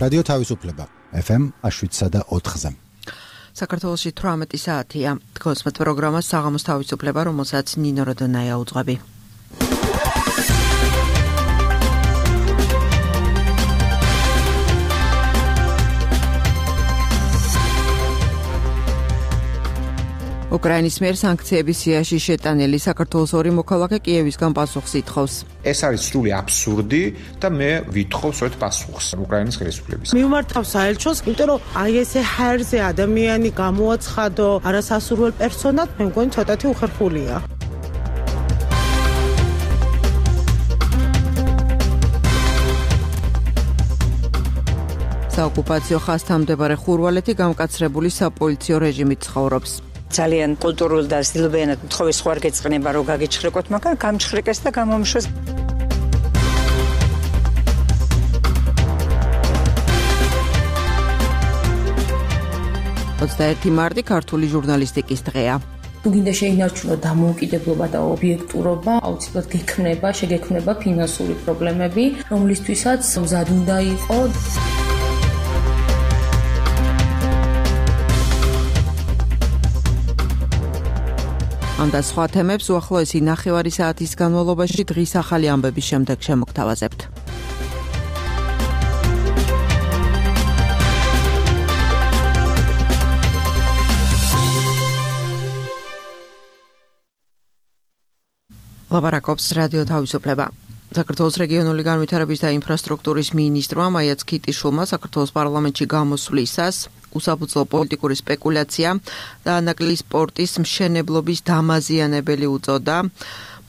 რადიო თავისუფლება FM 7.4-ზე. საქართველოში 18 საათია. Თქვენს პროგრამას საღამოს თავისუფლება, რომელსაც ნინო როდონაია უძღვები. უკრაინის მიერ სანქციების სიაში შეტანილი საქართველოს ორი მოქალაქე კიევისგან პასუხს ითხოვს. ეს არის სრული აბსურდი და მე ვითხოვ სწორედ პასუხს უკრაინის ხელისუფლების. მივმართავ საელჩოს, იმიტომ რომ აი ესე ჰაერზე ადამიანი გამოაცხადო არასასურველ პერსონად, მე მგონი ცოტათი უხერხულია. საოკუპაციო ხაზთან მდებარე ხურვალეთი გამკაცრებული საპოლიციო რეჟიმით ცხოვრობს. ძალიან კულტურულ და სილბენად თხოვის ხوار გეწყნება რომ გაგიჩხრეკოთ, მაგრამ გამჩხრეკეს და გამომშვეს. მარტი ქართული ჟურნალისტიკის დღეა. თუ გინდა შეინარჩუნოთ დამოუკიდებლობა და ობიექტურობა, აუცილებლად შეგექმნება ფინანსური პრობლემები, რომლისთვისაც მზად უნდა იყო. ამ და სხვა თემებს უახლოესი ნახევარი საათის განმავლობაში დღის ახალი ამბების შემდეგ შემოგთავაზებთ. ლაპარაკობს რადიო თავისუფლება. საქართველოს რეგიონული განვითარების და ინფრასტრუქტურის მინისტრმა მაია ცქიტიშვილმა საქართველოს პარლამენტში გამოსვლისას უსაფუძვლო პოლიტიკური სპეკულაცია და ანაკლის სპორტის მშენებლობის დამაზიანებელი უწოდა.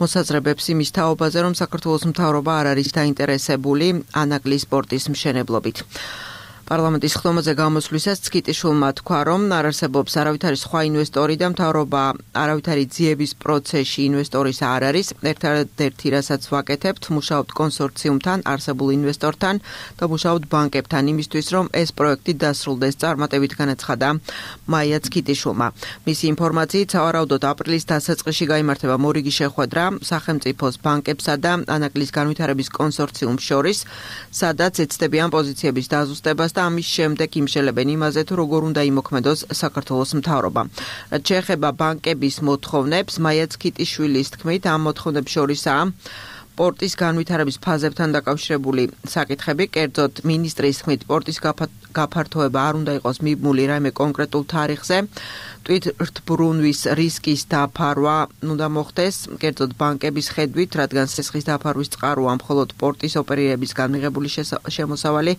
მოსაზრებებს იმის თაობაზე, რომ საქართველოს მთავრობა არ არის დაინტერესებული ანაკლის სპორტის მშენებლობით. პარლამენტის ხდომაზე გამოსვლისას ცქიტიშვილმა თქვა, რომ არ არსებობს არავითარი სხვა ინვესტორი და მთავრობა არავითარი ძიების პროცესში ინვესტორის არ არის. ერთადერთი რასაც ვაკეთებთ, მუშაობთ კონსორციუმთან, არსებულ ინვესტორთან და მუშაობთ ბანკებთან იმისთვის, რომ ეს პროექტი დასრულდეს, წარმატებით განაცხადა მაია ცქიტიშვილმა. მისი ინფორმაციით, სავარაუდოდ აპრილის დასაწყისში გაიმართება მორიგი შეხვედრა სახელმწიფოს ბანკებსა და ანაკლის განვითარების კონსორციუმს შორის, სადაც ეცდებიან პოზიციების დაზუსტებას და ამის შემდეგ იმშელებენ იმაზე, თუ როგორ უნდა იმოქმედოს საქართველოს მთავრობა. რაც შეეხება ბანკების მოთხოვნებს, მაია ცქიტიშვილის თქმით, ამ მოთხოვნებს შორისაა პორტის განვითარების ფაზებთან დაკავშირებული საკითხები, კერძოდ მინისტრის თქმით, პორტის გაფართოება არ უნდა იყოს მიბმული რაიმე კონკრეტულ თარიღზე. თვითრთბრუნვის რისკის დაფარვა უნდა მოხდეს, კერძოდ ბანკების ხედვით, რადგან სესხის დაფარვის წყაროა მხოლოდ პორტის ოპერირებისგან მიღებული შემოსავალი.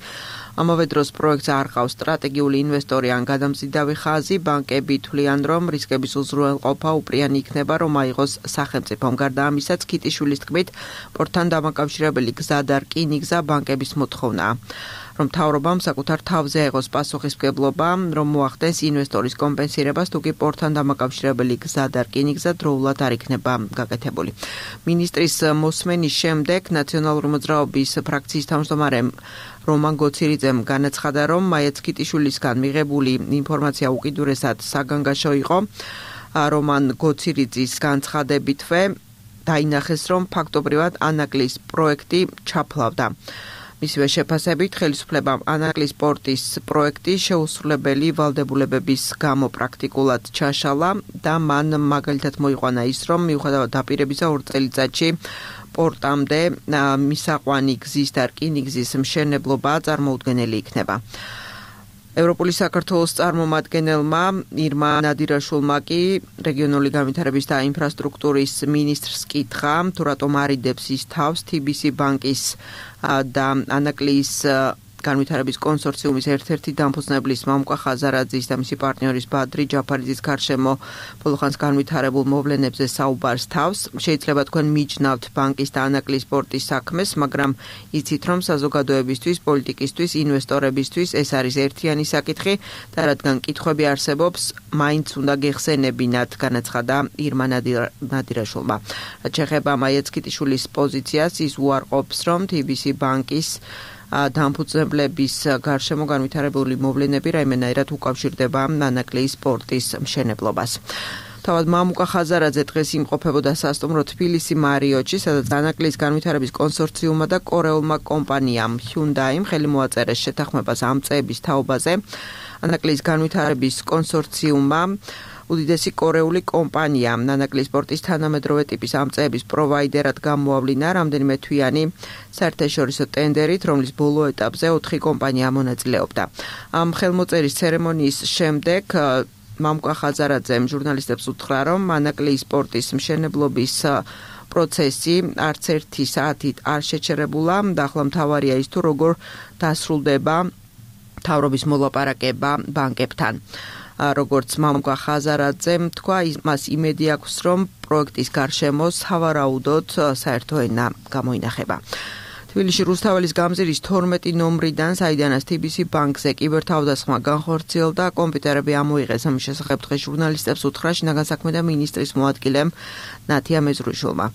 ამავე დროს პროექტს არ ყავს სტრატეგიული ინვესტორი ან გადამზიდავი ხაზი, ბანკები თვლიან, რომ რისკების უზრუნველყოფა უპრიანი იქნება, რომ აიღოს სახელმწიფომ. გარდა ამისა, ცქიტიშვილის თქმით, პორტთან დამაკავშირებელი გზა და რკინიგზა ბანკების მოთხოვნაა. რომ მთავრობამ საკუთარ თავზე აიღოს პასუხისმგებლობა, რომ მოახდენს ინვესტორის კომპენსირებას, თუ კი პორტთან დამაკავშირებელი გზა და რკინიგზა დროულად არ იქნება გაკეთებული. მინისტრის მოსმენის შემდეგ ნაციონალური მოძრაობის ფრაქციის თავმჯდომარემ რომან გოცირიძემ განაცხადა, რომ მაია ცქიტიშვილისგან მიღებული ინფორმაცია უკიდურესად საგანგაშო იყო. რომან გოცირიძის განცხადებითვე დაინახეს, რომ ფაქტობრივად ანაკლის პროექტი ჩაფლავდა. მისივე შეფასებით, ხელისუფლებამ ანაკლის სპორტის პროექტი შეუსრულებელი ვალდებულებების გამო პრაქტიკულად ჩაშალა და მან მაგალითად მოიყვანა ის, რომ მიუხედავად დაპირებისა 2 წელიწადში პორტამდე მისაყვანი გზის და რკინიგზის მშენებლობა წარმოუდგენელი იქნება. ევროპული საქართველოს წარმომადგენელმა ირმა ნადირაშვილმა კი რეგიონული განვითარების და ინფრასტრუქტურის მინისტრს კითხა, თუ რატომ არიდებს ის თავს TBC ბანკის და ანაკლის განვითარების კონსორციუმის ერთ-ერთი დამფუძნებლის მამუკა ხაზარაძის და მისი პარტნიორის ბადრი ჯაფარიძის გარშემო ბოლოხანს განვითარებულ მოვლენებზე საუბარს თავს. შეიძლება თქვენ მიჯნავთ ბანკის და ანაკლის სპორტის საქმეს, მაგრამ იცით, რომ საზოგადოებისთვის, პოლიტიკისთვის, ინვესტორებისთვის ეს არის ერთიანი საკითხი და რადგან კითხვები არსებობს, მაინც უნდა გეხსენებინათ, განაცხადა ირმა ნადირაშვილმა. რაც შეეხება მაია ცქიტიშვილის პოზიციას, ის უარყოფს, რომ TBC ბანკის დამფუძნებლების გარშემო განვითარებული მოვლენები რაიმენაირად უკავშირდება ანაკლის სპორტის მშენებლობას. თავად მამუკა ხაზარაძე დღეს იმყოფებოდა სასტუმრო თბილისი მარიოტში, სადაც დანაკლის განვითარების კონსორციუმმა და კორეულმა კომპანიამ Hyundai-მ ხელი მოაწერეს შეთანხმებას ამ წეების თაობაზე. დანაკლის განვითარების კონსორციუმმა უდიდესი კორეული კომპანია ნანაკლის სპორტის თანამედროვე ტიპის ამწეების პროვაიდერად გამოავლინა რამდენიმე თვიანი საერთაშორისო ტენდერით, რომლის ბოლო ეტაპზე 4 კომპანია მონაწილეობდა. ამ ხელმოწერის ცერემონიის შემდეგ მამუკა ხაზარაძემ ჟურნალისტებს უთხრა, რომ ნანაკლის სპორტის მშენებლობის პროცესი არც ერთი საათით არ შეჩერებულა და ახლა მთავარია ის თუ როგორ დასრულდება მთავრობის მოლაპარაკება ბანკებთან. როგორც მამუკა ხაზარაძემ თქვა, მას იმედი აქვს, რომ პროექტის გარშემო სავარაუდოდ საერთო ენა გამოინახება. თბილისში რუსთაველის გამზირის 12 ნომრიდან, საიდანაც TBC ბანკზე კიბერთავდასხმა განხორციელდა, კომპიუტერები ამოიღეს. ამის შესახებ დღეს ჟურნალისტებს უთხრა შინაგან საქმეთა მინისტრის მოადგილემ ნათია მეზრუშოვმა.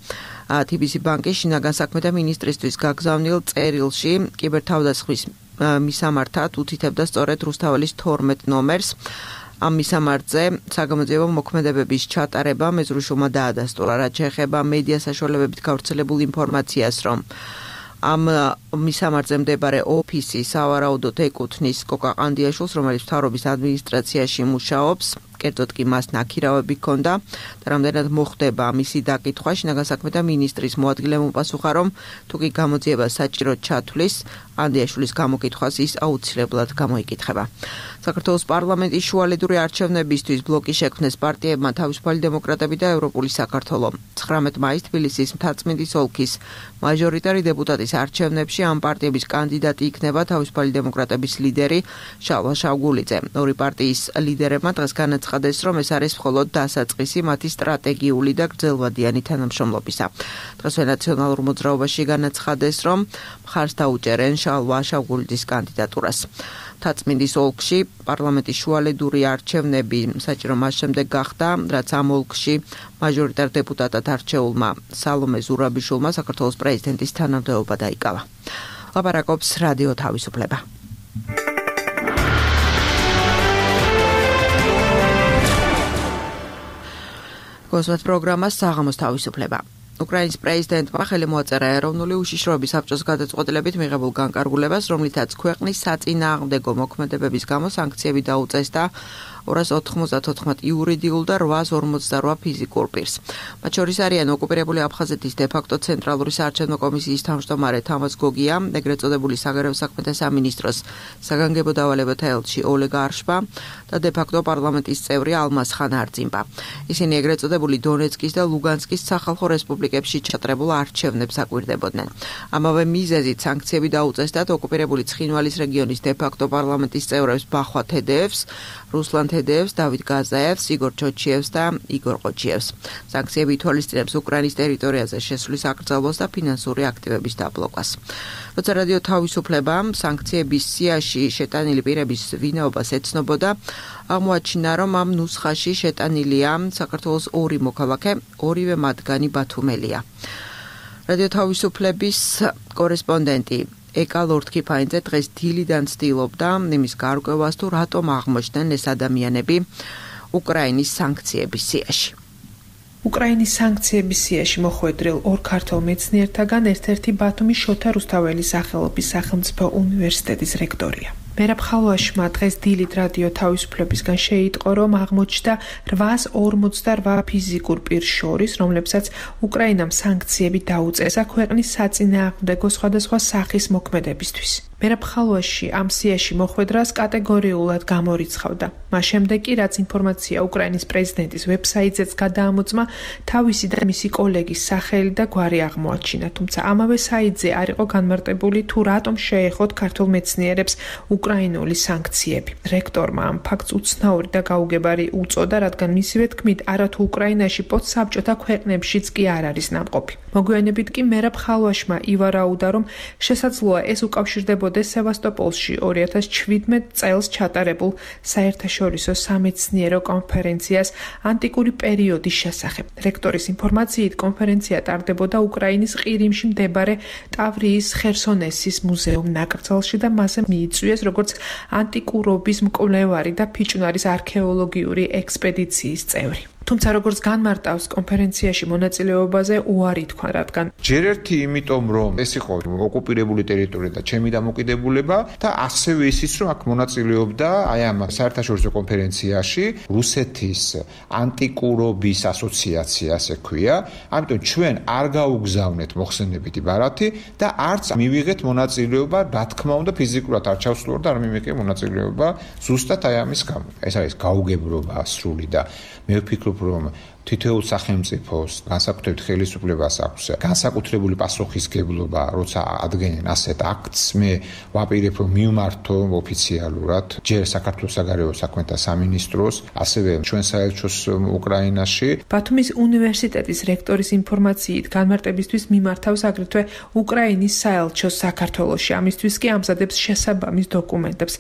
TBC ბანკის შინაგან საქმეთა მინისტრისთვის გაგზავნილ წერილში კიბერთავდასხმის მისამართად უთითებდა სწორედ რუსთაველის 12 ნომერს. ამ მისამართზე საგამოძიებო მოქმედებების ჩატარება მეზრუშოვმა დაადასტურა, რაც შეეხება მედია საშუალებებით გავრცელებულ ინფორმაციას, რომ ამ მისამართზე მდებარე ოფისი სავარაუდოდ ეკუთვნის კოკა ყანდიაშვილს, რომელიც მთავრობის ადმინისტრაციაში მუშაობს. კერძოდ კი მას ნაქირავები ჰქონდა და რამდენად მოხდება მისი დაკითხვა, შინაგან საქმეთა მინისტრის მოადგილემ უპასუხა, რომ თუ კი გამოძიება საჭიროდ ჩათვლის, ყანდიაშვილის გამოკითხვას ის აუცილებლად გამოიკითხება. საქართველოს პარლამენტის შუალედური არჩევნებისთვის ბლოკი შექმნეს პარტიებმა თავისუფალი დემოკრატები და ევროპული საქართველო. 19 მაისს თბილისის მთაწმინდის ოლქის მაჟორიტარი დეპუტატის არჩევნებში ამ პარტიების კანდიდატი იქნება თავისუფალი დემოკრატების ლიდერი შალვა შავგულიძე. ორი პარტიის ლიდერებმა დღეს განაცხადეს, რომ ეს არის მხოლოდ დასაწყისი მათი სტრატეგიული და გრძელვადიანი თანამშრომლობისა. დღესვე ნაციონალურ მოძრაობაში განაცხადეს, რომ მხარს დაუჭერენ შალვა შავგულიძის კანდიდატურას. მთაწმინდის ოლქში პარლამენტის შუალედური არჩევნები საჭირო მას შემდეგ გახდა, რაც ამ ოლქში მაჟორიტარ დეპუტატად არჩეულმა სალომე ზურაბიშვილმა საქართველოს პრეზიდენტის თანამდებობა დაიკავა. ლაპარაკობს რადიო თავისუფლება. გოსვათ პროგრამას საღამოს თავისუფლება. უკრაინის პრეზიდენტმა ხელი მოაწერა ეროვნული უშიშროების საბჭოს გადაწყვეტილებით მიღებულ განკარგულებას, რომლითაც ქვეყნის საწინააღმდეგო მოქმედებების გამო სანქციები დაუწესდა 294 იურიდიულ და 848 ფიზიკურ პირს. მათ შორის არიან ოკუპირებული აფხაზეთის დე-ფაქტო ცენტრალური საარჩევნო კომისიის თავმჯდომარე თამაზ გოგია, ეგრეთ წოდებული საგარეო საქმეთა სამინისტროს საგანგებო დავალებათა ელჩი ოლეგ არშბა და დე-ფაქტო პარლამენტის წევრი ალმაზ ხან არძიმბა. ისინი ეგრეთ წოდებული დონეცკის და ლუგანსკის სახალხო რესპუბლიკებში ჩატარებულ არჩევნებს აკვირდებოდნენ. ამავე მიზეზით სანქციები დაუწესდათ ოკუპირებული ცხინვალის რეგიონის დე-ფაქტო პარლამენტის წევრებს ბახვა თედეევს, რუსლან თედეევს, დავით გაზაევს, იგორ ჩოჩიევს და იგორ ყოჩიევს. სანქციები ითვალისწინებს უკრაინის ტერიტორიაზე შესვლის აკრძალვას და ფინანსური აქტივების დაბლოკას. როცა რადიო თავისუფლება სანქციების სიაში შეტანილი პირების ვინაობას ეცნობოდა, აღმოაჩინა, რომ ამ ნუსხაში შეტანილია საქართველოს 2 მოქალაქე, ორივე მათგანი ბათუმელია. რადიო თავისუფლების კორესპონდენტი ეკა ლორდ-კიფაინძე დღეს დილიდან ცდილობდა იმის გარკვევას, თუ რატომ აღმოჩნდნენ ეს ადამიანები უკრაინის სანქციების სიაში. უკრაინის სანქციების სიაში მოხვედრილ 2 ქართველ მეცნიერთაგან ერთ-ერთი ბათუმის შოთა რუსთაველის სახელობის სახელმწიფო უნივერსიტეტის რექტორია. მერაბ ხალვაშმა დღეს დილით რადიო თავისუფლებისგან შეიტყო, რომ აღმოჩნდა 848 ფიზიკურ პირს შორის, რომლებსაც უკრაინამ სანქციები დაუწესა ქვეყნის საწინააღმდეგო სხვადასხვა სახის მოქმედებისთვის. მერაბ ხალვაში ამ სიაში მოხვედრას კატეგორიულად გამორიცხავდა. მას შემდეგ კი, რაც ინფორმაცია უკრაინის პრეზიდენტის ვებსაიტზეც გადაამოწმა, თავისი და მისი კოლეგის სახელი და გვარი აღმოაჩინა, თუმცა ამავე საიტზე არ იყო განმარტებული, თუ რატომ შეეხოთ ქართულ მეცნიერებს უკრაინული სანქციები. რექტორმა ამ ფაქტს უცნაური და გაუგებარი უწოდა, რადგან მისივე თქმით, არათუ უკრაინაში პოსტსაბჭოთა ქვეყნებშიც კი არ არის ნამყოფი. მოგვიანებით კი მერაბ ხალვაშმა ივარაუდა, რომ შესაძლოა ეს უკავშირდებოდეს სევასტოპოლში 2017 წელს ჩატარებულ საერთაშორისო სამეცნიერო კონფერენციას ანტიკური პერიოდის შესახებ. რექტორის ინფორმაციით, კონფერენცია ტარდებოდა უკრაინის ყირიმში მდებარე ტავრიის ხერსონესის მუზეუმ ნაკრძალში და მასზე მიიწვიეს როგორც ანტიკურობის მკვლევარი და ფიჭვნარის არქეოლოგიური ექსპედიციის წევრი. თუმცა როგორც განმარტავს კონფერენციაში მონაწილეობაზე უარი თქვა, რადგან ჯერ ერთი იმიტომ რომ ეს იყო ოკუპირებული ტერიტორია და ჩემი დამოკიდებულება და ასევე ისიც რომ აქ მონაწილეობდა აი ამ საერთაშორისო კონფერენციაში რუსეთის ანტიკურობის ასოციაცია, ასე ქვია. ამიტომ ჩვენ არ გაუგზავნეთ მოხსენებითი ბარათი და არც მივიღეთ მონაწილეობა, რა თქმა უნდა, ფიზიკურად არ ჩავსვლურ და არ მივიღეთ მონაწილეობა ზუსტად აი ამის გამო. ეს არის გაუგებრობა სრული და მე ვფიქრობ, რომ თითოეულ სახელმწიფოს განსაკუთრებით ხელისუფლებას აქვს განსაკუთრებული პასუხისგებლობა, როცა ადგენენ ასეთ აქტს. მე ვაპირებ, რომ მივმართო ოფიციალურად ჯერ საქართველოს საგარეო საქმეთა სამინისტროს, ასევე ჩვენ საელჩოს უკრაინაში. ბათუმის უნივერსიტეტის რექტორის ინფორმაციით განმარტებისთვის მიმართავს აგრეთვე უკრაინის საელჩოს საქართველოში. ამისთვის კი ამზადებს შესაბამის დოკუმენტებს.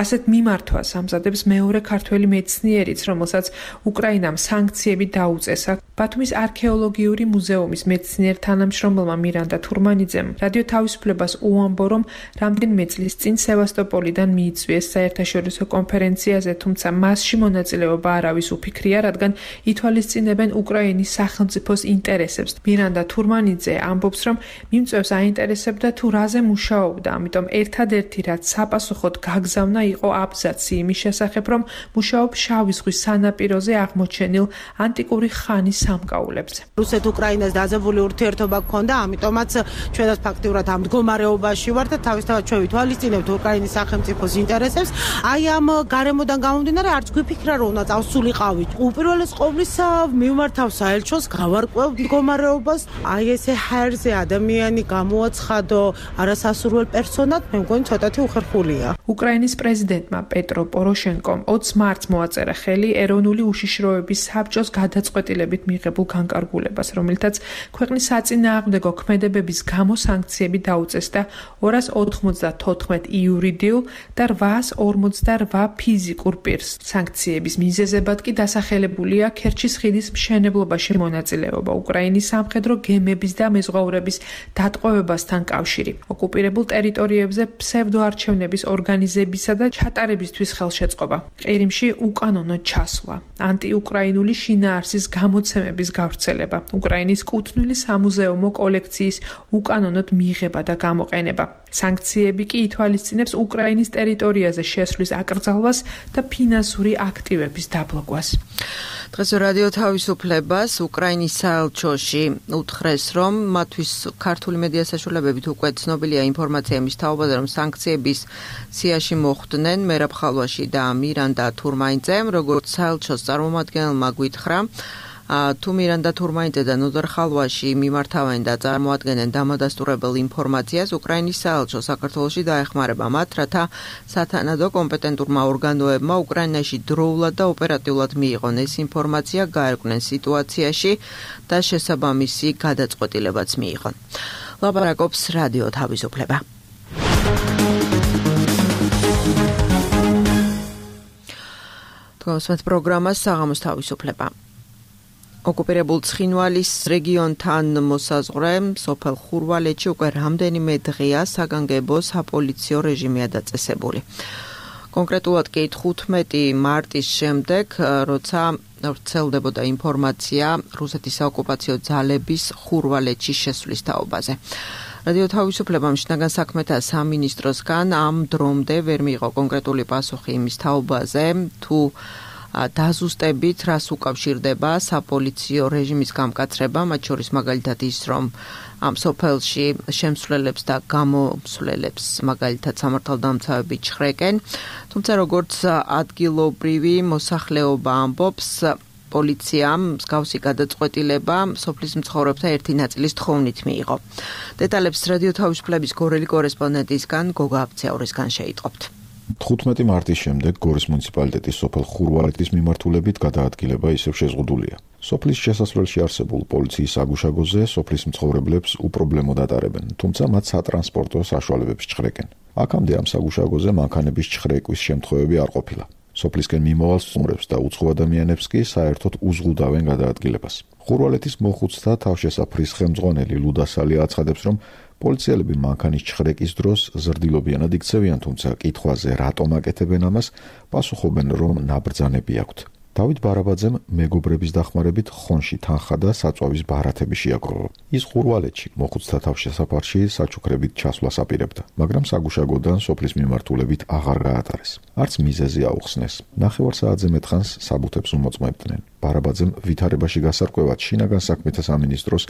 ასეთ მიმართვას ამზადებს მეორე ქართველი მეცნიერიც, რომელსაც უკრაინამ სანქციები დაუწესა. ბათუმის არქეოლოგიური მუზეუმის მეცნიერ თანამშრომელმა მირანდა თურმანიძემ რადიო თავისუფლებას უამბო, რომ რამდენიმე წლის წინ სევასტოპოლიდან მიიწვიეს საერთაშორისო კონფერენციაზე, თუმცა მასში მონაწილეობა არავის უფიქრია, რადგან ითვალისწინებენ უკრაინის სახელმწიფოს ინტერესებს. მირანდა თურმანიძე ამბობს, რომ მიმწვევს აინტერესებდა თუ რაზე მუშაობდა, ამიტომ ერთადერთი რაც საპასუხოდ გაგზავნა იყო აბზაცი იმის შესახებ, რომ მუშაობს შავი ზღვის სანაპიროზე აღმოჩენილ ანტიკური ხანის სამკაულებზე. რუსეთ-უკრაინას დაძაბული ურთიერთობა გქონდა, ამიტომაც ჩვენაც ფაქტიურად ამ მდგომარეობაში ვართ და თავისთავად ჩვენ ვითვალისწინებთ უკრაინის სახელმწიფოს ინტერესებს. აი ამ გარემოდან გამომდინარე არც გვიფიქრა, რომ უნდა წავსულიყავით. უპირველეს ყოვლისა მივმართავ საელჩოს, გავარკვევ მდგომარეობას. აი ესე ჰაერზე ადამიანი გამოაცხადო არასასურველ პერსონად, მე მგონი ცოტათი უხერხულია. უკრაინის პრეზიდენტმა პეტრო პოროშენკომ 20 მარტს მოაწერა ხელი ეროვნული უშიშროების საბჭოს გადაწყვეტილებით მიღებულ განკარგულებას, რომელთაც ქვეყნის საწინააღმდეგო ქმედებების გამო სანქციები დაუწესდა 294 იურიდიულ და 848 ფიზიკურ პირს. სანქციების მიზეზებად კი დასახელებულია ქერჩის ხიდის მშენებლობაში მონაწილეობა, უკრაინის სამხედრო გემების და მეზღვაურების დატყვევებასთან კავშირი, ოკუპირებულ ტერიტორიებზე ფსევდოარჩევნების ორგანიზებისა და ჩატარებისთვის ხელშეწყობა, ყირიმში უკანონო ჩასვლა, ანტიუკრაინული შინაარსის გამოცემების გავრცელება, უკრაინის კუთვნილი სამუზეუმო კოლექციის უკანონოდ მიღება და გამოყენება. სანქციები კი ითვალისწინებს უკრაინის ტერიტორიაზე შესვლის აკრძალვას და ფინანსური აქტივების დაბლოკვას. დღეს რადიო თავისუფლებას უკრაინის საელჩოში უთხრეს, რომ მათთვის ქართული მედია საშუალებებით უკვე ცნობილია ინფორმაცია იმის თაობაზე, რომ სანქციების სიაში მოხვდნენ მერაბ ხალვაში და მირანდა თურმანიძემ, როგორც საელჩოს წარმომადგენელმა გვითხრა, თუ მირანდა თურმანიძე და ნოდარ ხალვაში მიმართავენ და წარმოადგენენ დამადასტურებელ ინფორმაციას, უკრაინის საელჩო საქართველოში დაეხმარება მათ, რათა სათანადო კომპეტენტურმა ორგანოებმა უკრაინაში დროულად და ოპერატიულად მიიღონ ეს ინფორმაცია, გაერკვნენ სიტუაციაში და შესაბამისი გადაწყვეტილებაც მიიღონ. ლაპარაკობს რადიო თავისუფლება. თქვენს პროგრამას საღამოს თავისუფლება. ოკუპირებულ ცხინვალის რეგიონთან მოსაზღვრე სოფელ ხურვალეთში უკვე რამდენიმე დღეა საგანგებო საპოლიციო რეჟიმია დაწესებული. კონკრეტულად კი 15 მარტის შემდეგ, როცა ვრცელდებოდა ინფორმაცია რუსეთის საოკუპაციო ძალების ხურვალეთში შესვლის თაობაზე. რადიო თავისუფლებამ შინაგან საქმეთა სამინისტროსგან ამ დრომდე ვერ მიიღო კონკრეტული პასუხი იმის თაობაზე, თუ დაზუსტებით რას უკავშირდება საპოლიციო რეჟიმის გამკაცრება, მათ შორის მაგალითად ის, რომ ამ სოფელში შემსვლელებს და გამოსვლელებს მაგალითად სამართალდამცავები ჩხრეკენ, თუმცა როგორც ადგილობრივი მოსახლეობა ამბობს, პოლიციამ მსგავსი გადაწყვეტილება სოფლის მცხოვრებთა ერთი ნაწილის თხოვნით მიიღო. დეტალებს რადიო თავისუფლების გორელი კორესპონდენტისგან გოგა აბცეურისგან შეიტყობთ. 15 მარტის შემდეგ გორის მუნიციპალიტეტის სოფელ ხურვალეთის მიმართულებით გადაადგილება ისევ შეზღუდულია. სოფლის შესასვლელში არსებულ პოლიციის საგუშაგოზე სოფლის მცხოვრებლებს უპრობლემოდ ატარებენ, თუმცა მათ სატრანსპორტო საშუალებებს ჩხრეკენ. აქამდე ამ საგუშაგოზე მანქანების ჩხრეკვის შემთხვევები არ ყოფილა. სოფლისკენ მიმავალ სტუმრებს და უცხო ადამიანებს კი საერთოდ უზღუდავენ გადაადგილებას. ხურვალეთის მოხუცთა თავშესაფრის ხელმძღვანელი ლუდასალი აცხადებს, რომ პოლიციელები მანქანის ჩხრეკის დროს ზრდილობიანად იქცევიან, თუმცა კითხვაზე რატომ აკეთებენ ამას, პასუხობენ, რომ ნაბრძანები აქვთ. დავით ბარაბაძემ მეგობრების დახმარებით ხონში თანხა და საწვავის ბარათები შეაგროვა. ის ხურვალეთში მოხუცთა თავშესაფარში საჩუქრებით ჩასვლას აპირებდა, მაგრამ საგუშაგოდან სოფლის მიმართულებით აღარ გაატარეს. არც მიზეზი აუხსნეს. ნახევარ საათზე მეტხანს საბუთებს უმოწმებდნენ. ბარაბაძემ ვითარებაში გასარკვევად შინაგან საქმეთა სამინისტროს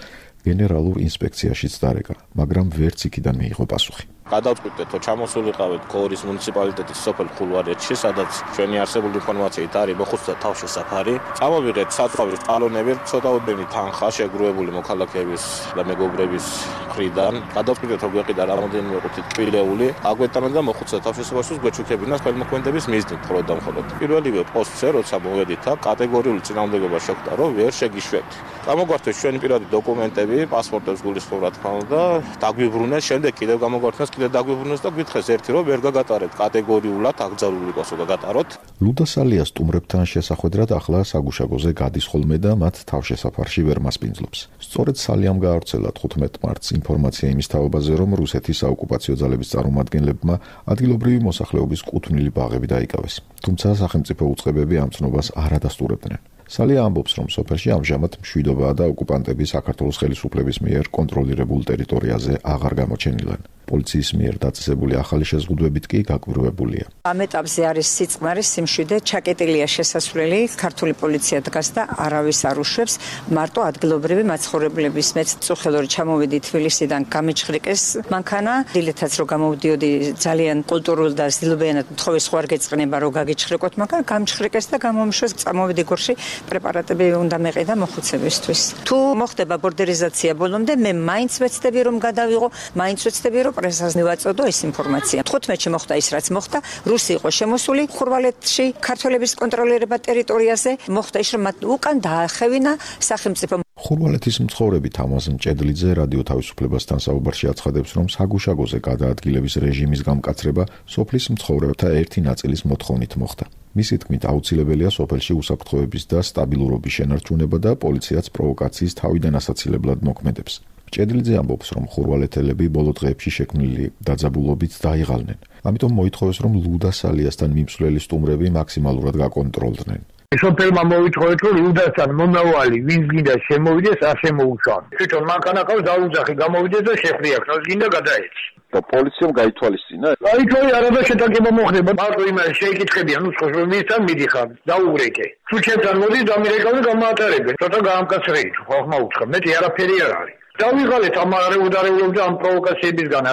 გენერალურ ინსპექციაშიც დარეკა, მაგრამ ვერც იქიდან მიიღო პასუხი. გადავწყვიტეთ, რომ ჩამოსულიყავით გორის მუნიციპალიტეტის სოფელ ხულვარეთში, სადაც ჩვენი არსებული ინფორმაციით არის მოხუცთა თავშესაფარი. წამოვიღეთ საწვავის ტალონები, ცოტაოდენი თანხა შეგროვებული მოქალაქეების და მეგობრების მხრიდან. გადავწყვიტეთ, რომ გვეყიდა რამოდენიმე ყუთით ტკბილეული, აგვეტანა და მოხუცთა თავშესაფარში გვეჩუქებინა ხელმოქმედების მიზნით მხოლოდ და მხოლოდ. პირველივე პოსტზე, როცა მოვედით, კატეგორიული წინააღმდეგობა შეხვდა, რომ ვერ შეგიშვებთ. გამოგვართეს ჩვენი პირადი დოკუმენტები, პასპორტებს გულისხმობ რა თქმა უნდა, დაგვიბრუნეს, შემდეგ კიდევ გამოგვართეს კიდე დაგვიბრუნეს და გითხეს ერთი რომ ვერ გაგატარეთ კატეგორიულად აკრძალული ყოსო გაგატაროთ. ლუდა სალიას სტუმრებთან შესახვედრად ახლა საგუშაგოზე გადის ხოლმე და მათ თავშესაფარში ვერ მასპინძლობს. სწორედ სალიამ გაავრცელა 15 მარტს ინფორმაცია იმის თაობაზე, რომ რუსეთის საოკუპაციო ძალების წარმომადგენლებმა ადგილობრივი მოსახლეობის კუთვნილი ბაღები დაიკავეს. თუმცა სახელმწიფო უწყებები ამ ცნობას არ ადასტურებდნენ. სალია ამბობს, რომ სოფელში ამჟამად მშვიდობაა და ოკუპანტები საქართველოს ხელისუფლების მიერ კონტროლირებულ ტერიტორიაზე აღარ გამოჩენილან. პოლიციის მიერ დაწესებული ახალი შეზღუდვებით კი გაკვირვებულია. ამ ეტაპზე არის სიწყმარი, სიმშვიდე, ჩაკეტილია შესასვლელი, ქართული პოლიცია დგას და არავის არ უშვებს. მარტო ადგილობრივი მაცხოვრებლების მეც წუხელური ჩამოვედი თბილისიდან გამიჩხრიკეს მანქანა, დილითაც რო გამოვდიოდი ძალიან კულტურულ და ზილბიანად თხოვეს ხო არ გეწყნება რომ გაგიჩხრიკოთ მანქანა, გამჩხრიკეს და გამომშვეს, წამოვედი გორში პრეპარატები უნდა მეყიდა მოხუცებისთვის. თუ მოხდება ბორდერიზაცია ბოლომდე, მე მაინც ვეცდები რომ გადავიღო, მაინც ვეცდები რომ პრესას მივაწოდო ეს ინფორმაცია. 15-ში მოხდა ის რაც მოხდა, რუსი იყო შემოსული ხურვალეთში, ქართველების კონტროლირება ტერიტორიაზე, მოხდა ის რომ მათ უკან დაახევინა სახელმწიფო. ხურვალეთის მცხოვრები თამაზ მჭედლიძე რადიო თავისუფლებასთან საუბარში აცხადებს, რომ საგუშაგოზე გადაადგილების რეჟიმის გამკაცრება სოფლის მცხოვრებთა ერთი ნაწილის მოთხოვნით მოხდა. მისი თქმით, აუცილებელია სოფელში უსაფრთხოების და სტაბილურობის შენარჩუნება და პოლიციაც პროვოკაციის თავიდან ასაცილებლად მოქმედებს. მჭედლიძე ამბობს, რომ ხურვალეთელები ბოლო დღეებში შექმნილი დაძაბულობით დაიღალნენ. ამიტომ მოითხოვეს, რომ ლუდა სალიასთან მიმსვლელი სტუმრები მაქსიმალურად გაკონტროლდნენ. სოფელმა მოითხოვეთ, რომ ლუდასთან მომავალი ვინც გინდა შემოვიდეს, არ შემოუშვან. თვითონ მანქანა ყავს დაუძახი, გამოვიდეს და შეხრია, ხოს გინდა გადაეცი. და პოლიციამ გაითვალისწინა. გაითვალე, არადა შეტაკება მოხდება. მარტო იმას შეიკითხებიან, ნუ სხვა ვისთან მიდიხარ, დაუგრეკე. თუ ჩემთან მოდის, დამირეკავ და გამაატარებენ. ცოტა გაამკაცრეით, ხალხმა უთხრა, მეტი არაფერი არ არის. დავიღალეთ ამ არეუდარეულობდა ამ პროვოკაციებისგან.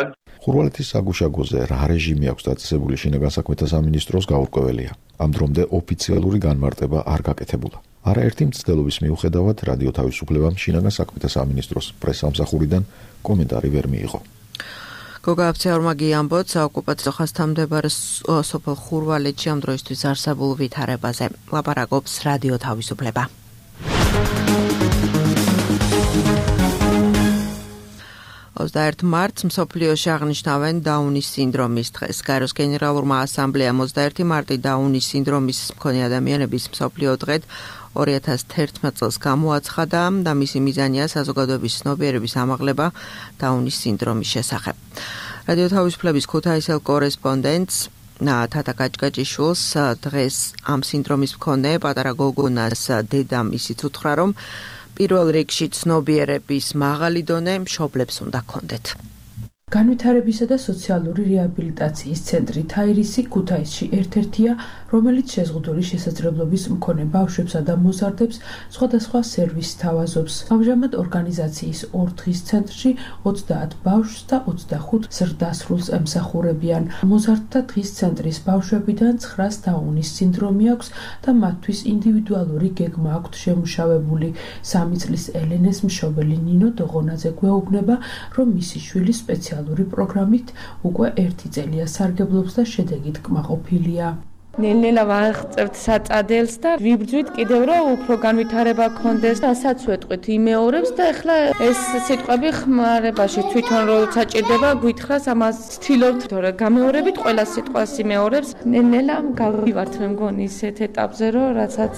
ხურვალეთის საგუშაგოზე რა რეჟიმი აქვს დაწესებული შინაგან საქმეთა სამინისტროს გაურკვეველია. ამ დრომდე ოფიციალური განმარტება არ გაკეთებულა. არაერთი მცდელობის მიუხედავად რადიო თავისუფლებამ შინაგან საქმეთა სამინისტროს პრესამსახურიდან კომენტარი ვერ მიიღო. გოგა აფცეორმაგი ამბობს, ოკუპაციო ხაზთან მდებარე სოფელ ხურვალეთში ამ დროისთვის არსებულ ვითარებაზე. ლაპარაკობს რადიო თავისუფლება. 21 მარტს მსოფლიოში აღნიშნავენ დაუნის სინდრომის დღეს. გაეროს გენერალურმა ასამბლეამ 21 მარტი დაუნის სინდრომის მქონე ადამიანების მსოფლიო დღედ 2011 წელს გამოაცხადა და მისი მიზანია საზოგადოების ცნობიერების ამაღლება დაუნის სინდრომის შესახებ. რადიო თავისუფლების ქუთაისელ კორესპონდენტს თათა კაჭკაჭიშვილს დღეს ამ სინდრომის მქონე პატარა გოგონას დედამ ისიც უთხრა, რომ პირველ რიგში ცნობიერების მაღალი დონე მშობლებს უნდა ჰქონდეთ. განვითარებისა და სოციალური რეაბილიტაციის ცენტრი თაირისი ქუთაისში ერთ-ერთია, რომელიც შეზღუდული შესაძლებლობის მქონე ბავშვებსა და მოზარდებს სხვადასხვა სერვისს თავაზობს. ამჟამად ორგანიზაციის 2 დღის ცენტრში 30 ბავშვს და 25 ზრდასრულს ემსახურებიან. მოზარდთა დღის ცენტრის ბავშვებიდან 9-ს დაუნის სინდრომი აქვს და მათთვის ინდივიდუალური გეგმა აქვთ შემუშავებული. 3 წლის ელენეს მშობელი ნინო დოღონაძე გვეუბნება, რომ მისი შვილი სპეციალური პროგრამით უკვე 1 წელია სარგებლობს და შედეგით კმაყოფილია. ნელ-ნელა ვაღწევთ საწადელს და ვიბრძვით კიდევ რომ უფრო განვითარება გქონდეს, რასაც ვეტყვით იმეორებს და ეხლა ეს სიტყვები ხმარებაში თვითონ რო საჭირდება გვითხრას ამას ვთილობთ, თორე გამეორებით ყველა სიტყვას იმეორებს. ნელ-ნელა გავივართ მე მგონი ისეთ ეტაპზე რომ რასაც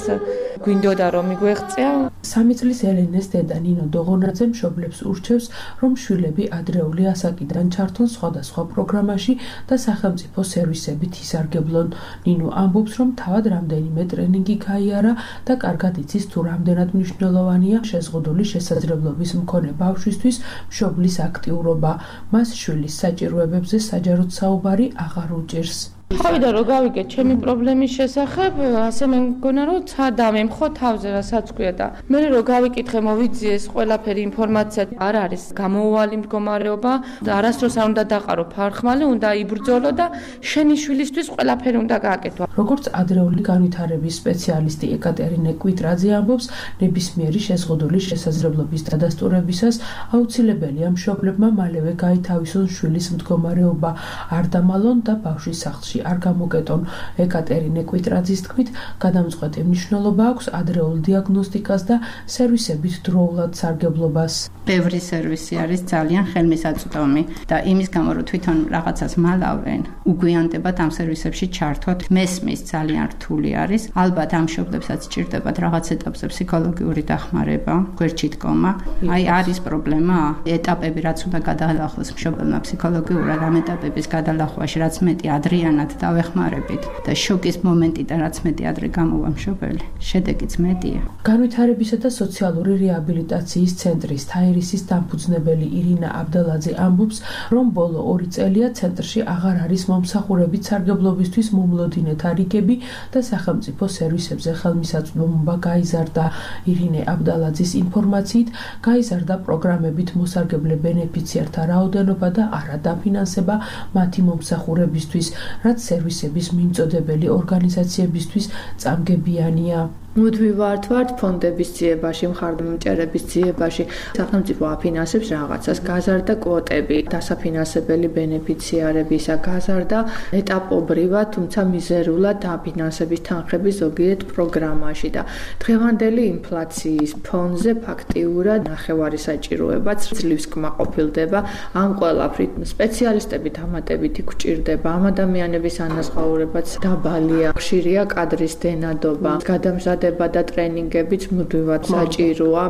გვინდოდა რომ მიგვეღწია. 3 წლის ელენეს დედა ნინო დოღონაძე მშობლებს ურჩევს, რომ შვილები ადრეული ასაკიდან ჩართონ სხვადასხვა პროგრამაში და სახელმწიფო სერვისებით ისარგებლონ. ნინო ივანო ამბობს, რომ თავად რამდენიმე ტრენინგი გაიარა და კარგად იცის თუ რამდენად მნიშვნელოვანია შეზღუდული შესაძლებლობის მქონე ბავშვისთვის მშობლის აქტიურობა. მას შვილის საჭიროებებზე საჯაროდ საუბარი აღარ უჭირს. ხავდა რო გავიგე ჩემი პრობლემის შესახებ, ასე მე მგონა რომ დამემხო თავზე რასაც ქვია და მე რო გავიკითხე მოვიძიეს ყველაფერი ინფორმაცია არ არის გამოუვალი მდგომარეობა და არასდროს არ უნდა დაყარო ფარხმალი, უნდა იბრძოლო და შენი შვილისთვის ყველაფერი უნდა გააკეთო. როგორც ადრეული განვითარების სპეციალისტი ეკატერინე კვიტრაძე ამბობს, ნებისმიერი შეზღუდული შესაძლებლობის დადასტურებისას აუცილებელია მშობლებმა მალევე გაითავისონ შვილის მდგომარეობა, არ დამალონ და ბავშვის სახლში არ გამოკეტონ. ეკატერინე კვიტრაძის თქმით, გადამწყვეტი მნიშვნელობა აქვს ადრეულ დიაგნოსტიკას და სერვისებით დროულად სარგებლობას. ბევრი სერვისი არის ძალიან ხელმისაწვდომი და იმის გამო რომ თვითონ რაღაცას მალავენ, უგვიანდებათ ამ სერვისებში ჩართვათ. მესმის ძალიან რთული არის. ალბათ ამ მშობლებსაც სჭირდებათ რაღაც ეტაპზე ფსიქოლოგიური დახმარება, გვერდში დგომა. აი არის პრობლემა, ეტაპები რაც უნდა გადაალახოს მშობელმა ფსიქოლოგიურად, ამ ეტაპების გადალახვაში რაც მეტი ადრიანად დავეხმარებით და შოკის მომენტიდან რაც მეტი ადრე გამოვა მშობელი, შედეგიც მეტია. განვითარებისა და სოციალური რეაბილიტაციის ცენტრის თაირისის დამფუძნებელი ირინა აბდალაძე ამბობს, რომ ბოლო 2 წელია ცენტრში აღარ არის მომსახურებით სარგებლობისთვის მომლოდინე თარიგები და სახელმწიფო სერვისებზე ხელმისაწვდომობა გაიზარდა. ირინე აბდალაძის ინფორმაციით, გაიზარდა პროგრამებით მოსარგებლე ბენეფიციართა რაოდენობა და არადაფინანსება მათი მომსახურებისთვის, რაც სერვისების მიმწოდებელი ორგანიზაციებისთვის წამგებიანია. მუდმივად ვართ ფონდების ძიებაში, მხარდამჭერების ძიებაში. სახელმწიფო აფინანსებს რაღაცას, გაზარდა კვოტები, დასაფინანსებელი ბენეფიციარებისა, გაზარდა ეტაპობრივად, თუმცა მიზერულად დაფინანსების თანხების ზოგიერთ პროგრამაში და დღევანდელი ინფლაციის ფონზე ფაქტიურად ნახევარი საჭიროებაც ძლივს კმაყოფილდება. ამ ყველაფრით სპეციალისტები დამატებითი გვჭირდება, ამ ადამიანების ანაზღაურებაც დაბალია, ხშირია კადრის დენადობა, გადამზადება და ტრენინგებიც მუდმივად საჭიროა.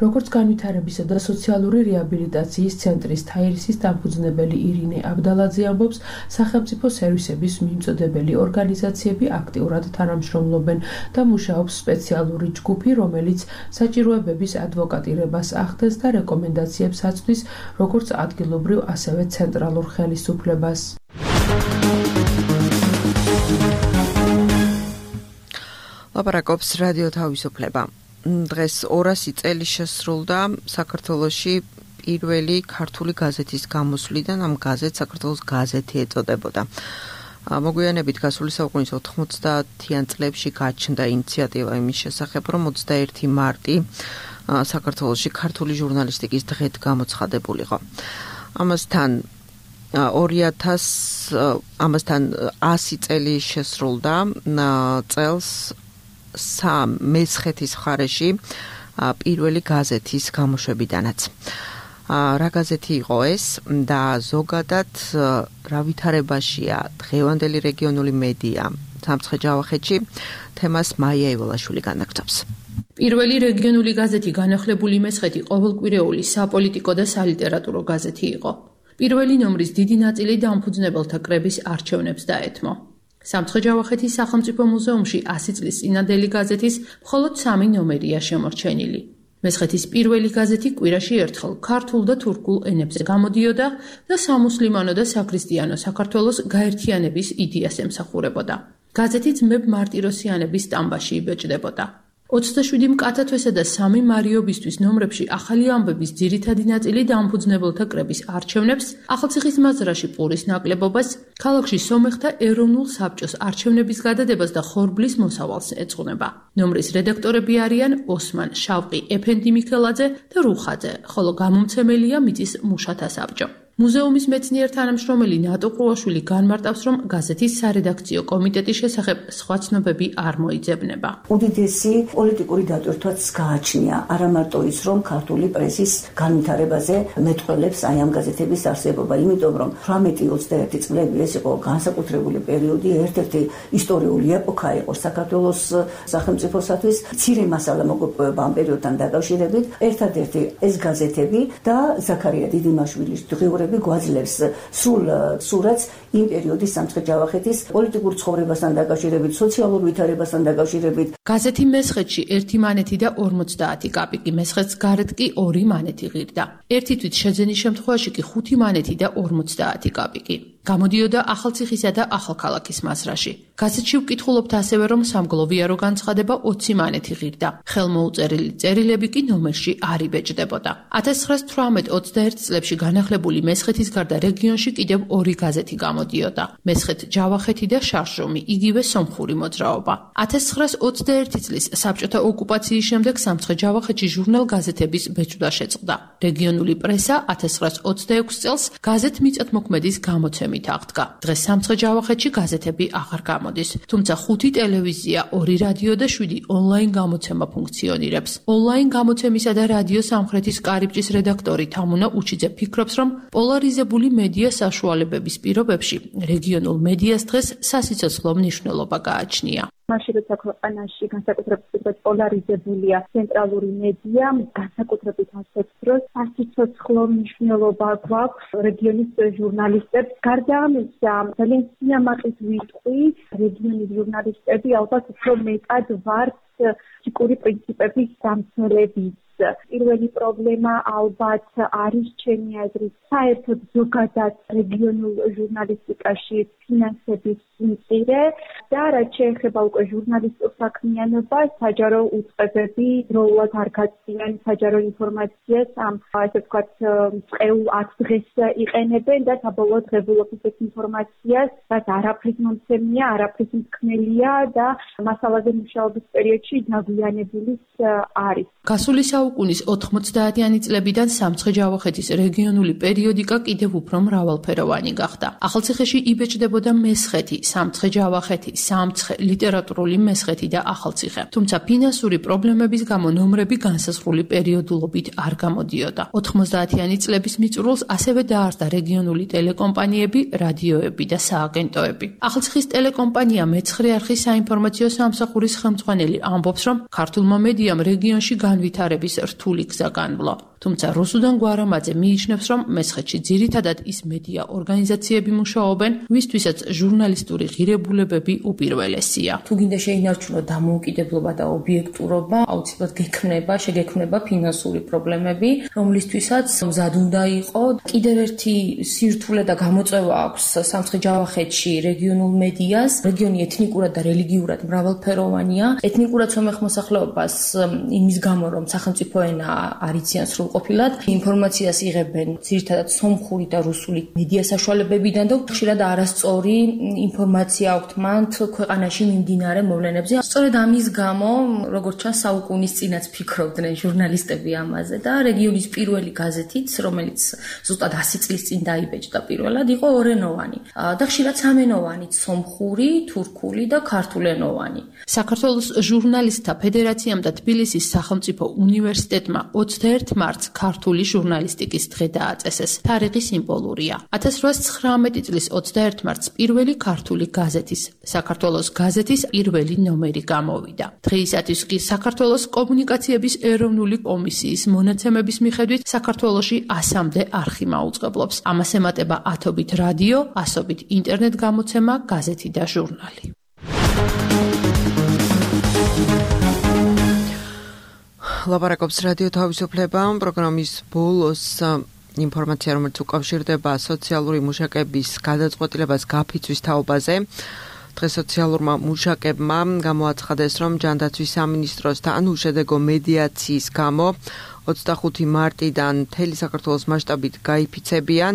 როგორც განვითარებისა და სოციალური რეაბილიტაციის ცენტრის თაირისის დამფუძნებელი ირინე აბდალაძე ამბობს, სახელმწიფო სერვისების მიმწოდებელი ორგანიზაციები აქტიურად თანამშრომლობენ და მუშაობს სპეციალური ჯგუფი, რომელიც საჭიროებების ადვოკატირებას ახდენს და რეკომენდაციებს აწვდის როგორც ადგილობრივ, ასევე ცენტრალურ ხელისუფლებას. ლაპარაკობს რადიო თავისუფლება. დღეს 200 წელი შესრულდა საქართველოში პირველი ქართული გაზეთის გამოსვლიდან. ამ გაზეთს საქართველოს გაზეთი ეწოდებოდა. მოგვიანებით გასული საუკუნის 90-იან წლებში გაჩნდა ინიციატივა იმის შესახებ, რომ 21 მარტი საქართველოში ქართული ჟურნალისტიკის დღედ გამოცხადებულიყო. ამასთან 100 წელი შესრულდა წელს მესხეთის მხარეში პირველი გაზეთის გამოშვებიდანაც. რა გაზეთი იყო ეს და ზოგადად რა ვითარებაშია დღევანდელი რეგიონული მედია სამცხე-ჯავახეთში, თემას მაია ივოლაშვილი განაგრძობს. პირველი რეგიონული გაზეთი განახლებული მესხეთი ყოველკვირეული საპოლიტიკო და სალიტერატურო გაზეთი იყო. პირველი ნომრის დიდი ნაწილი დამფუძნებელთა კრების არჩევნებს დაეთმო. სამცხე-ჯავახეთის სახელმწიფო მუზეუმში 100 წლის წინადელი გაზეთის მხოლოდ 3 ნომერია შემორჩენილი. მესხეთის პირველი გაზეთი კვირაში ერთხელ ქართულ და თურქულ ენებზე გამოდიოდა და სამუსლიმანო და საქრისტიანო საქართველოს გაერთიანების იდეას ემსახურებოდა. გაზეთი ძმებ მარტიროსიანების სტამბაში იბეჭდებოდა. 27 მკაცათვესა და 3 მარიობისთვის ნომრებში ახალი ამბების ძირითადი ნაწილი დამფუძნებელთა კრების არჩევნებს, ახალციხის მაზრაში პურის ნაკლებობას, ქალაქში სომეხთა ეროვნულ საბჭოს არჩევნების გადადებას და ხორბლის მოსავალს ეძღვნება. ნომრის რედაქტორები არიან ოსმან შავყი, ეფენდი მიქელაძე და რუხაძე, ხოლო გამომცემელია მიწის მუშათა საბჭო. მუზეუმის მეცნიერ თანამშრომელი ნატო ყრუაშვილი განმარტავს, რომ გაზეთის სარედაქციო კომიტეტის შესახებ სხვა ცნობები არ მოიძებნება. უდიდესი პოლიტიკური დატვირთვაც გააჩნია, არა მარტო ის, რომ ქართული პრესის განვითარებაზე მეტყველებს აი ამ გაზეთების არსებობა, იმიტომ რომ 18-21 წლები ეს იყო განსაკუთრებული პერიოდი, ერთ-ერთი ისტორიული ეპოქა იყო საქართველოს სახელმწიფოსათვის. მცირე მასალა მოგყვება ამ პერიოდთან დაკავშირებით. ერთადერთი ეს გაზეთები და ზაქარია დიდიმაშვილის დღიურები გვაძლევს სრულ სურათს იმ პერიოდის სამცხე-ჯავახეთის პოლიტიკურ ცხოვრებასთან დაკავშირებით, სოციალურ ვითარებასთან დაკავშირებით. გაზეთი მესხეთში 1 მანეთი და 50 კაპიკი, მესხეთს გარეთ კი 2 მანეთი ღირდა. ერთი თვით შეძენის შემთხვევაში კი 5 მანეთი და 50 კაპიკი. გამოდიოდა ახალციხისა და ახალქალაქის მასრაში. გაზეთში ვკითხულობთ ასევე, რომ სამგლოვიარო განცხადება 20 მანეთი ღირდა. ხელმოუწერილი წერილები კი ნომერში არ იბეჭდებოდა. 1918-21 წლებში განახლებული მესხეთის გარდა რეგიონში კიდევ 2 გაზეთი გამოდიოდა. მესხეთ-ჯავახეთი და შარშომი, იგივე სომხური მოძრაობა. 1921 წლის საბჭოთა ოკუპაციის შემდეგ სამცხე-ჯავახეთში ჟურნალ-გაზეთების ბეჭვდა შეწყდა. რეგიონული პრესა 1926 წელს გაზეთ-მიწათმოქმედის გამოცემით აღდგა. დღეს სამცხე-ჯავახეთში გაზეთები აღარ გამოდის, თუმცა 5 ტელევიზია, 2 რადიო და 7 ონლაინ გამოცემა ფუნქციონირებს. ონლაინ გამოცემისა და რადიო სამხრეთის კარიბჭის რედაქტორი თამუნა უჩიძე ფიქრობს, რომ პოლარიზებული მედია საშუალებების პირობებში რეგიონულ მედიას დღეს სასიცოცხლო მნიშვნელობა გააჩნია. მაშინ როცა ქვეყანაში განსაკუთრებით პოლარიზებულია ცენტრალური მედია, განსაკუთრებით ასეთ დროს სასიცოცხლო მნიშვნელობა გვაქვს რეგიონის ჟურნალისტებს. გარდა ამისა, ძალიან სიამაყით ვიტყვი, რეგიონის ჟურნალისტები ალბათ უფრო მეტად ვართ ეთიკური პრინციპების დამცველებით. პირველი პრობლემა ალბათ არის ჩემი აზრით საერთოდ ზოგადად რეგიონულ ჟურნალისტიკაში ფინანსების მწირე და რაც შეეხება უკვე ჟურნალისტურ საქმიანობას, საჯარო უწყებები დროულად არ გაწვიან საჯარო ინფორმაციას ამ ასე ვთქვათ წეულ 10 დღეს იყენებენ და საბოლოოდ ღებულობს ეს ინფორმაციას, რაც არაფრის მომცემია, არაფრის მსქმელია და მასალაზე მუშაობის პერიოდში დაგვიანებული არის. გასული საუკუნის 90-იანი წლებიდან სამცხე-ჯავახეთის რეგიონული პერიოდიკა კიდევ უფრო მრავალფეროვანი გახდა. ახალციხეში იბეჭდებოდა მესხეთი, სამცხე-ჯავახეთი, სამცხე, ლიტერატურული მესხეთი და ახალციხე. თუმცა ფინანსური პრობლემების გამო ნომრები განსაზღვრული პერიოდულობით არ გამოდიოდა. 90-იანი წლების მიწურულს ასევე დაარსდა რეგიონული ტელეკომპანიები, რადიოები და სააგენტოები. ახალციხის ტელეკომპანია მეცხრე არხის საინფორმაციო სამსახურის ხელმძღვანელი ამბობს, რომ ქართულმა მედიამ რეგიონში განვითარების რთული გზა განვლო. თუმცა რუსუდან გვარამაძე მიიჩნევს, რომ მესხეთში ძირითადად ის მედია ორგანიზაციები მუშაობენ, ვისთვისაც ჟურნალისტური ღირებულებები უპირველესია. თუ გინდა შეინარჩუნოთ დამოუკიდებლობა და ობიექტურობა, აუცილებლად შეგექმნება ფინანსური პრობლემები, რომლისთვისაც მზად უნდა იყო. კიდევ ერთი სირთულე და გამოწვევა აქვს სამცხე-ჯავახეთში რეგიონულ მედიას. რეგიონი ეთნიკურად და რელიგიურად მრავალფეროვანია. ეთნიკურად სომეხ მოსახლეობას იმის გამო, რომ სახელმწიფო ენა არ იციან სრულყოფილად, ინფორმაციას იღებენ ძირითადად სომხური და რუსული მედია საშუალებებიდან და ხშირად არასწორი ინფორმაცია აქვთ მან ქვეყანაში მიმდინარე მოვლენებზე. სწორედ ამის გამო, როგორც ჩანს, საუკუნის წინაც ფიქრობდნენ ჟურნალისტები ამაზე და რეგიონის პირველი გაზეთიც, რომელიც ზუსტად 100 წლის წინ დაიბეჭდა პირველად, იყო ორენოვანი და ხშირად სამენოვანი, სომხური, თურქული და ქართულენოვანი. საქართველოს ჟურნალისტთა ფედერაციამ და თბილისის სახელმწიფო უნივერსიტეტმა 21 მარტს ქართული ჟურნალისტიკის დღე დააწესეს. თარიღი სიმბოლურია. 1819 წლის 21 მარტს პირველი ქართული გაზეთის, საქართველოს გაზეთის პირველი ნომერი გამოვიდა. დღეისათვის კი საქართველოს კომუნიკაციების ეროვნული კომისიის მონაცემების მიხედვით საქართველოში 100-მდე არხი მაუწყებლობს. ამას ემატება 10-ობით რადიო, 100-ობით ინტერნეტ გამოცემა, გაზეთი და ჟურნალი. ლაპარაკობს რადიო თავისუფლება პროგრამის ბოლოს ინფორმაცია, რომელიც უკავშირდება სოციალური მუშაკების გადაწყვეტილებას გაფიცვის თაობაზე. დღეს სოციალურმა მუშაკებმა გამოაცხადეს, რომ ჯანდაცვის სამინისტროსთან უშედეგო მედიაციის გამო 25 მარტიდან მთელი საქართველოს მასშტაბით გაიფიცებიან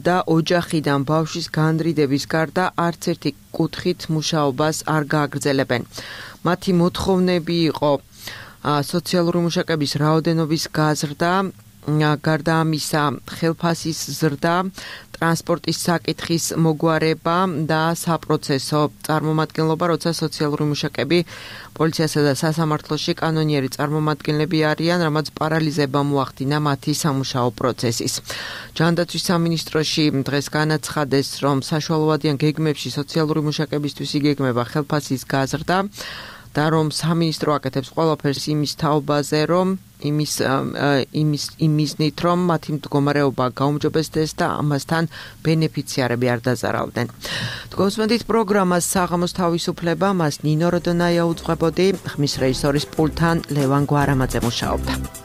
და ოჯახიდან ბავშვის განრიდების გარდა არც ერთი კუთხით მუშაობას არ გააგრძელებენ. მათი მოთხოვნები იყო სოციალური მუშაკების რაოდენობის გაზრდა გარდა ამისა, ხელფასის ზრდა, ტრანსპორტის საკითხის მოგვარება და საპროცესო წარმომადგენლობა, როცა სოციალური მუშაკები პოლიციასა და სასამართლოში კანონიერი წარმომადგენლები არიან, რამაც პარალიზება მოახდინა მათი სამუშაო პროცესის. ჯანდაცვის სამინისტროში დღეს განაცხადეს, რომ საშუალოვადიან გეგმებში სოციალური მუშაკებისთვის იგეგმება ხელფასის გაზრდა და რომ სამინისტრო აკეთებს ყველაფერს იმის თაობაზე, რომ იმისნით, რომ მათი მდგომარეობა გაუმჯობესდეს და ამასთან ბენეფიციარები არ დაზარავდნენ. თქვენს პროგრამას საღამოს თავისუფლება, მას ნინო როდონაია უძღვებოდი, ხმის რეჟისორის პულტთან ლევან გვარამაძე მუშაობდა.